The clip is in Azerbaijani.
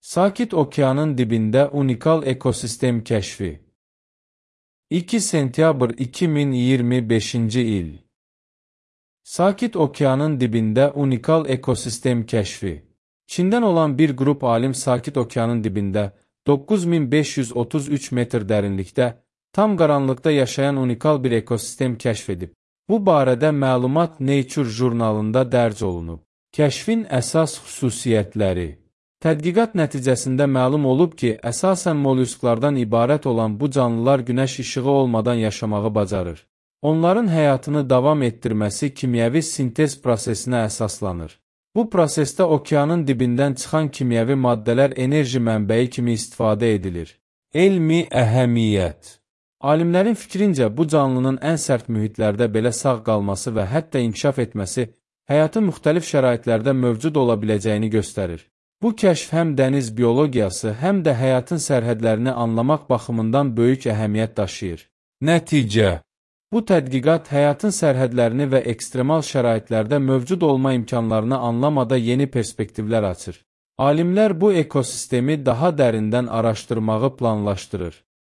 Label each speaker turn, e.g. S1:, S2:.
S1: Sakit Okeanın dibində unikal ekosistem kəşfi. 2 sentyabr 2025-ci il. Sakit Okeanın dibində unikal ekosistem kəşfi. Çindən olan bir qrup alim Sakit Okeanın dibində 9533 metr dərinlikdə tam qaranlıqda yaşayan unikal bir ekosistem kəşf edib. Bu barədə məlumat Nature jurnalında dərc olunub. Kəşfin əsas xüsusiyyətləri. Tədqiqat nəticəsində məlum olub ki, əsasən mollusklardan ibarət olan bu canlılar günəş işığı olmadan yaşamağı bacarır. Onların həyatını davam etdirməsi kimyəvi sintez prosesinə əsaslanır. Bu prosesdə okeanın dibindən çıxan kimyəvi maddələr enerji mənbəyi kimi istifadə edilir. Elmi əhəmiyyət. Alimlərin fikrincə, bu canlının ən sərt mühitlərdə belə sağ qalması və hətta inkişaf etməsi həyatın müxtəlif şəraitlərdə mövcud ola biləcəyini göstərir. Bu kəşf həm dəniz biologiyası, həm də həyatın sərhədlərini anlamaq baxımından böyük əhəmiyyət daşıyır. Nəticə. Bu tədqiqat həyatın sərhədlərini və ekstremal şəraitlərdə mövcud olma imkanlarını anlamada yeni perspektivlər açır. Alimlər bu ekosistemi daha dərindən araşdırmağı planlaşdırır.